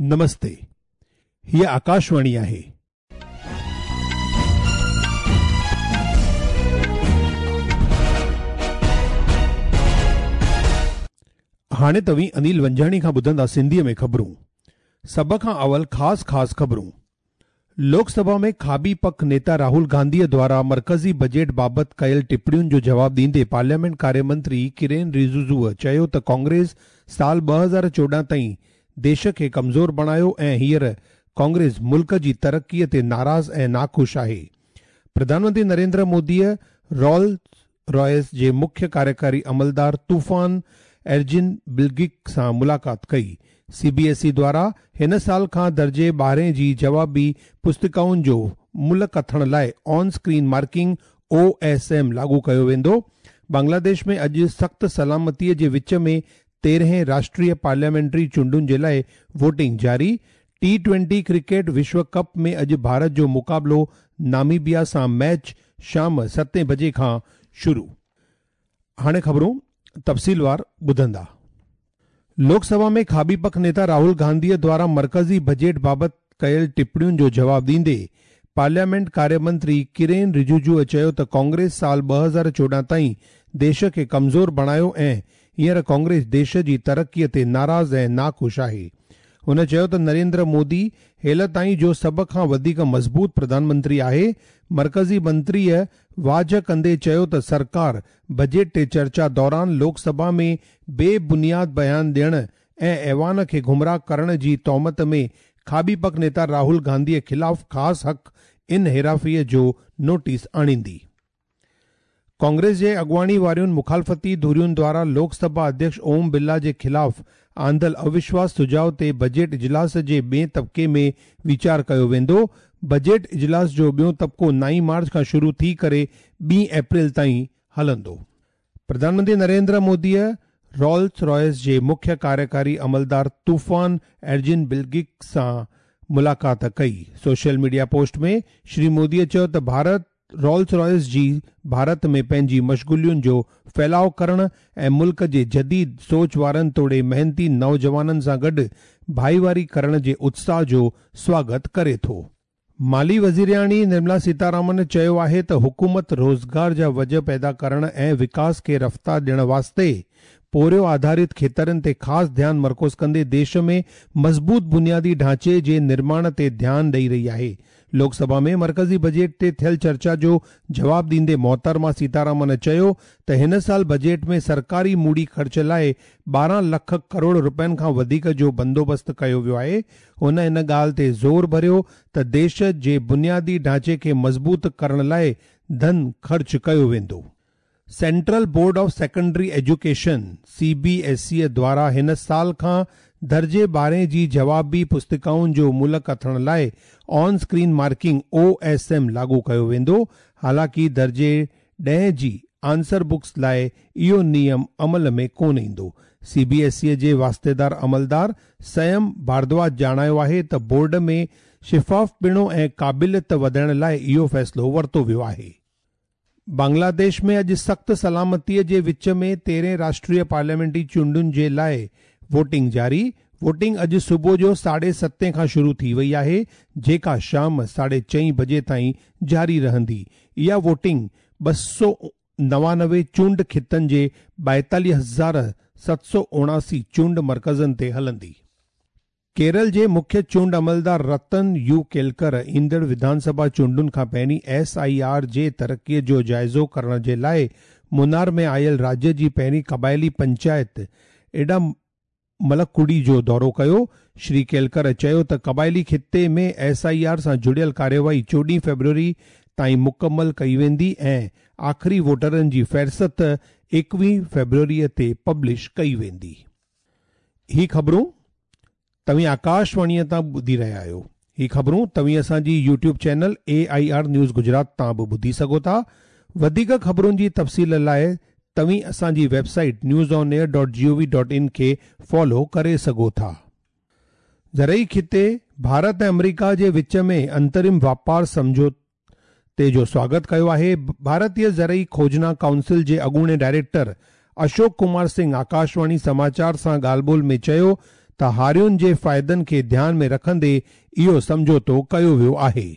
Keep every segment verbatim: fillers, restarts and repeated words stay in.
نمستي، هيء آڪاشواڻي آهي. هاڻي توهين انيل ونجاڻي کان ٻڌندا سنڌيء ۾ خبرون. سڀ کان اول خاص خاص خبرون. لوڪ سڀا ۾ کاٻي پک نيتا راهول گانڌيء دوارا مرڪزي بجيٽ بابت ڪيل ٽپڻين جو جواب ڏيندي پارليامينٽ ڪاريه منتري ڪرين رجيجوء چيو ته ڪانگريس سال ٻه هزار چوڏهن تائين ديش کي ڪمزور بڻايو ۽ هينئر ڪانگريس ملڪ جي ترقيء تي ناراض ۽ ناخوش آهي. پرڌان منتري نريندر موديء رولز رائس جي مکيه ڪاريڪاري عملدار طوفان ايرجن بلگڪ سان ملاقات ڪئي. سي بي ايس اي دوارا هن سال کان درجي ٻارهين جي جوابي پستڪائن جو ملهه ڪٿڻ لاء on screen marking O S M لاڳو ڪيو ويندو. بنگلاديش ۾ اڄ سخت سلامتيء جي وچ ۾ تيرهين راشٽريه پارليامينٽري چونڊن جي لاء ووٽنگ جاري. ٽي ٽوئنٽي ڪرڪيٽ وشو ڪپ ۾ اڄ ڀارت جو مقابلو ناميبيا سان، ميچ شام ستين بجي کان شروع. هاڻي خبرون تفصيلوار ٻڌندا. لوڪ سڀا ۾ کاٻي پک نيتا راهول گانڌيء دوارا مرڪزي بجيٽ بابت ڪيل ٽپڻين جو جواب ڏيندي پارليامينٽ ڪاريه منتري ڪرين رجيجوء چيو ته ڪانگريس سال ٻه هزار چوڏهن تائين ديش کي ڪمزور بڻايو ۽ هينئر ڪانگريس ديش جي ترقيء تي ناراض ۽ ناخوش آهي. هن چيو ته نريندر مودي هيل تائين جو سڀ کان وڌيڪ مضبوط پرڌان منتري آهي. مرڪزي منتريء واجهه ڪندي چيو ته سرڪار بجيٽ تي چرچا دوران لوڪ سڀا ۾ بي بنياد بيان ڏيڻ ۽ ايوان کي گمراهه ڪرڻ جي تهمت ۾ کاٻي پک نيتا راهول گانڌيء خلاف خاص حق انحرافيء جو نوٽيس آڻيندي. ڪانگريس جي اڳواڻي وارين مخالفتي ڌرين دوارا لوڪ سڀا اڌيڪش اوم برلا جي خلاف آندل اوشواس سجهاء تي بجيٽ اجلاس جي ٻئي طبقي ۾ ويچار ڪيو ويندو. بجيٽ اجلاس جو ٻيو طبقو نائين مارچ کان شروع ٿي ڪري ٻي اپريل تائين هلندو. پرڌان منتري نريندر موديء رولز رائس جي مکيه ڪاريڪاري عملدار طوفان ايرجن بلگڪ سان ملاقات ڪئي. سوشل ميڊيا پوسٽ ۾ شري موديء چيو ته ڀارت رولز رائس جي ڀارت ۾ پنهنجي مشغولين جو ڦهلاءُ ڪرڻ ۽ ملڪ جي جديد سوچ وارن توڙي محنتي نوجوانن سان گڏ ڀائيواري ڪرڻ جي اتساهه جو سواگت ڪري ٿو. مالي وزيرياڻي نرملا سيتارامن چيو آهي ته حڪومت روزگار جا وجهه پيدا ڪرڻ ۽ وڪاس کي رفتار ڏيڻ واسطي پورهيو آڌارت کيترن تي خاص ڌيان مرڪوز ڪندي ديش ۾ مضبوط بنيادي ڍانچي جي نرماڻ تي ڌيان ڏئي رهي آهي. لوڪ سڀا ۾ مرڪزي بجيٽ تي ٿيل چرچا جو جواب ڏيندي محترمه سيتارامن چيو ته هن سال بجيٽ ۾ سرڪاري موڙي خرچ لاءِ ٻارهن لک ڪروڙ رپين کان وڌيڪ جو بندوبست ڪيو ويو آهي. هن ان ڳالهه تي زور ڀريو ته ديش جي بنيادي ڍانچي کي مضبوط ڪرڻ لاءِ ڌن خرچ ڪيو ويندو. Central board of secondary education C B S E دوارا هن سال کان درجي ٻارهين جي جوابي پستڪائن جو ملهه ڪٿڻ لاءِ on screen marking O S M لاڳو ڪيو ويندو. حالانڪه درجي ڏهين جي آنسر بڪس لاءِ اهو نيم عمل ۾ ڪونه ايندو. سي بي ايس اي جي واسطيدار عملدار سيم ڀاردواج ڄاڻايو آهي ته بورڊ ۾ شفاف پڻو ۽ قابليت وڌائڻ لاءِ اهو فيصلو ورتو ويو آهي. بنگلاديش ۾ اڄ سخت سلامتيء جي وچ ۾ تيرهين راشٽريه پارليامينٽري چونڊن جي لاءِ ووٽنگ جاري. ووٽنگ اڄ صبح جو ساڍي ستين کان شروع ٿي وئي آهي، جيڪا شام ساڍي چئين بجي تائين جاري رهندي. اها ووٽنگ ٻه سؤ نوانوي چونڊ خطن جي ٻائيتاليهه هزار ست سؤ اوڻاسي چونڊ مرڪزن تي هلندي. ڪيرل جي مکيه چونڊ عملدار رتن يو ڪيلڪر ايندڙ وڌان سڀا چونڊن کان پهرين ايس I R جي ترقيءَ جو جائزو ڪرڻ جي لاءِ منار ۾ آيل راجيه جي پهرين قبائلي پنچائت ايڊا ملڪڙي جو دورو ڪيو. شري ڪيلڪر چيو ته قبائلي خطي ۾ ايس I R سان جڙيل ڪارروائي چوڏهين فيبروري تائين مڪمل ڪئي ويندي ۽ آخري ووٽرن جي فهرست ايڪويهه فيبروريءَ تي پبلش ڪئي ويندي. هي خبرون توهين آڪاشواڻيءَ تان ٻڌي رهيا آهيو. هي خبرون توهين اسان جي YouTube channel A I R news Gujarat تان به ٻڌي سگهو ٿا. وڌيڪ خبرن جي تفصيل لاءِ توهين اسان جي website news on air dot G O V dot in کي فالو ڪري سگهو ٿا. زرعي خطي ڀارت ۽ آمريڪا جي وچ ۾ انترم واپار سمجهوتي جو سواگت ڪيو آهي. ڀارتيه زرعي کوجنا ڪائونسل جي اڳوڻي ڊائريڪٽر اشوڪ ڪمار سنگهه آڪاشواڻي سماچار سان ڳالهه ٻولهه ۾ چيو ته हारियुनि जे फ़ाइदनि खे ध्यान में रखंदे इहो सम्झौतो कयो वियो आहे।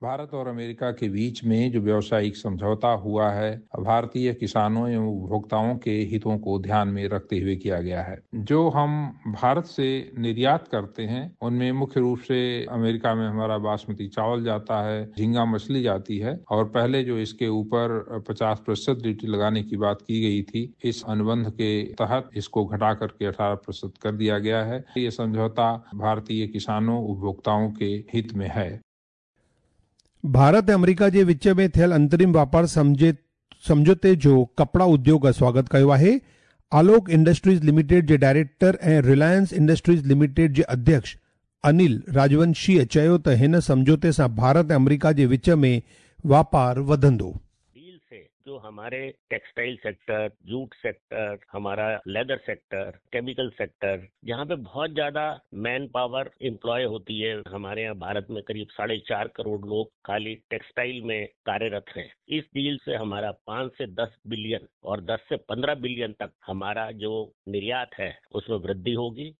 भारत और अमेरिका के बीच में जो व्यावसायिक समझौता हुआ है, भारतीय किसानों एवं उपभोक्ताओं के हितों को ध्यान में रखते हुए किया गया है। जो हम भारत से निर्यात करते हैं उनमें मुख्य रूप से अमेरिका में हमारा बासमती चावल जाता है, झींगा मछली जाती है और पहले जो इसके ऊपर पचास प्रतिशत ड्यूटी लगाने की बात की गई थी, इस अनुबंध के तहत इसको घटा करके अठारह प्रतिशत कर दिया गया है। ये समझौता भारतीय किसानों उपभोक्ताओं के हित में है। भारत ऐं अमरीका जे विच में थियल अंतरिम वापार सम्झे सम्झौते जो कपड़ा उद्योग स्वागत कयो आहे। आलोक इंडस्ट्रीज लिमिटेड जे डायरेक्टर ऐं रिलायंस इंडस्ट्रीज लिमिटेड जे अध्यक्ष अनिल राजवंशीअ चयो त हिन सम्झौते सां भारत ऐं अमरीका जे विच में वापार वधंदो। डील से जो हमारे टेक्सटाइल सेक्टर, जूट सेक्टर, हमारा लेदर सेक्टर, केमिकल सेक्टर, जहाँ पे बहुत ज्यादा मैन पावर एम्प्लॉय होती है, हमारे यहाँ भारत में करीब साढ़े चार करोड़ लोग खाली टेक्सटाइल में कार्यरत हैं। इस डील से हमारा पाँच से दस बिलियन और दस से पंद्रह बिलियन तक हमारा जो निर्यात है उसमें वृद्धि होगी।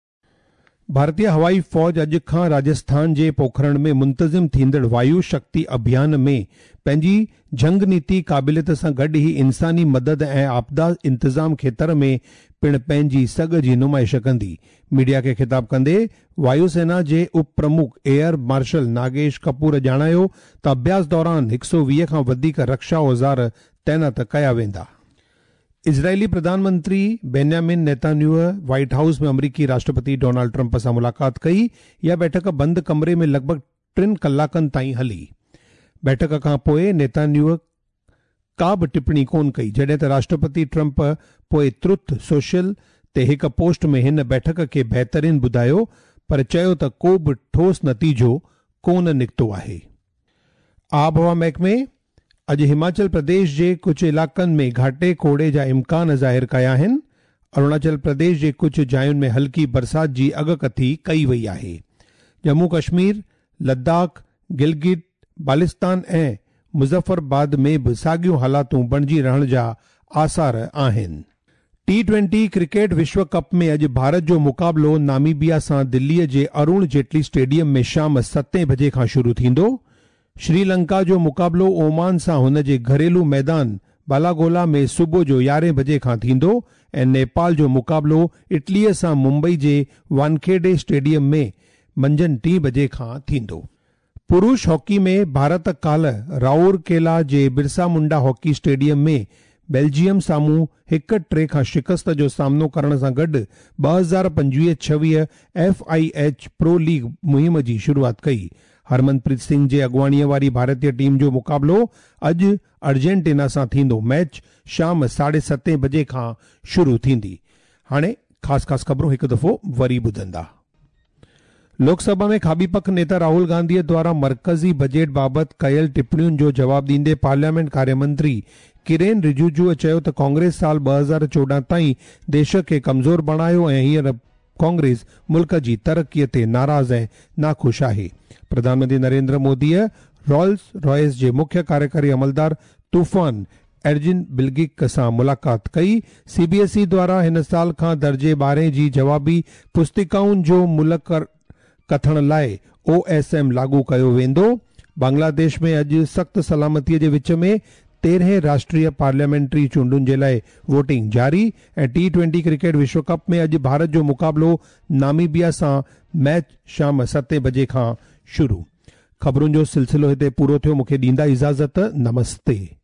भारतीय हवाई फ़ौज अॼु खां राजस्थान जे पोखरण में मुंतज़िम थींदड़ वायु शक्ति अभियान में पंहिंजी जंग नीति क़ाबिलियत सां गॾु ई इंसानी मदद ऐं आपदा इंतज़ाम खेतर में पिणु पंहिंजी सघ जी नुमाइश कंदी। मीडिया खे ख़िताब कंदे वायुसेना जे उप प्रमुख एयर मार्शल नागेश कपूर ॼाणायो त अभ्यास दौरान हिकु सौ वीह खां वधीक रक्षा औज़ार तैनात कया वेंदा। इज़रायली प्रधानमंत्री बेन्यामिन नेतान्याहू व्हाइट हाउस में अमरीकी राष्ट्रपति डोनाल्ड ट्रंप सां मुलाक़ात कई। इहा बैठक बंदि कमरे में लॻभॻि टिनि कलाकनि ताईं हली। बैठक खां पोइ नेतान्याहू का बि टिप्पणी कोन कई, जॾहिं त राष्ट्रपति ट्रंप पोइ ट्रुथ सोशल ते हिकु पोस्ट में हिन बैठक खे बहितरीन ॿुधायो, पर चयो त को बि ठोस नतीजो कोन निकितो आहे। आबहवा महकमे अॼु हिमाचल प्रदेश जे कुझु इलाइक़नि में घाटे कोड़े जा इम्कान ज़ाहिर कया आहिनि। अरुणाचल प्रदेश जे कुझु जायुनि में हल्की बरसात जी अगकथी कई वई आहे। जम्मू कश्मीर, लद्दाख, गिलगित बालिस्तान ऐं मुज़फ़्फ़राबाद में बि साॻियूं हालातूं बणिजी रहण जा आसार आहिनि। टी ट्वेंटी क्रिकेट विश्व कप में अॼु भारत जो मुक़ाबिलो नामीबिया सां दिल्लीअ जे अरुण जेटली स्टेडियम में शाम सतें बजे खां शुरू थींदो। श्रीलंका जो मुक़ाबिलो ओमान सां हुन जे घरेलू मैदान बालागोला में सुबुह जो यारहें बजे खां थींदो ऐं नेपाल जो मुक़ाबिलो इटलीअ सां मुंबई जे वानखेड़े स्टेडियम में मंझंदि टी बजे खां थींदो। पुरुष हॉकी में भारत काल्ह राउरकेला जे बिरसा मुंडा हॉकी स्टेडियम में बेल्जियम साम्हूं हिकु टे खां शिकस्त जो सामनो करण सां गॾु ॿ हज़ार पंजवीह छवीह F I H pro league मुहिम जी शुरूआत कई। हरमनप्रीत सिंह जे अॻुवाणीअ वारी भारतीय टीम जो मुक़ाबिलो अॼु अर्जेंटीना सां थींदो। मैच शाम साढे सतें बजे खां शुरू थींदी। हाणे ख़ासि ख़ासि ख़बरूं हिकु दफ़ो वरी ॿुधंदा। लोकसभा में खाबी पख नेता राहुल गांधी द्वारा मरकज़ी बजट बाबति कयल टिप्पणियुनि जो जवाब ॾींदे पार्लियामेंट कार्य मंत्री किरेन रिजिजू चयो त कांग्रेस साल ॿ हज़ार चोॾहं ताईं देश खे कमज़ोर बणायो ऐं हींअर कांग्रेस मुल्क जी तरक़ीअ ते नाराज़ ऐं नाख़ुशि आहे। प्रधानमंत्री नरेंद्र मोदीअ रॉल्स रॉयस जे मुख्य कार्यकारी अमलदार तूफ़ान एर्जिन बिलगिक सां मुलाक़ात कई। सीबीएसई द्वारा हिन साल खां दर्जे ॿारहें जी जवाबी पुस्तिकाउनि जो मुल्ह कथण लाइ ओ एस एम लागू कयो वेंदो। बांग्लादेश में अॼु सख़्तु सलामतीअ जे विच में तेरहं राष्ट्रीय पार्लियामेंट्री चूंडुनि जे लाइ वोटिंग जारी ऐं टी ट्वेंटी क्रिकेट विश्व कप में अॼु भारत जो मुक़ाबिलो नामीबिया सां, मैच शाम सतें बजे खां शुरू। ख़बरुनि जो सिलसिलो हिते पूरो थियो। मूंखे ॾींदा इजाज़त। नमस्ते।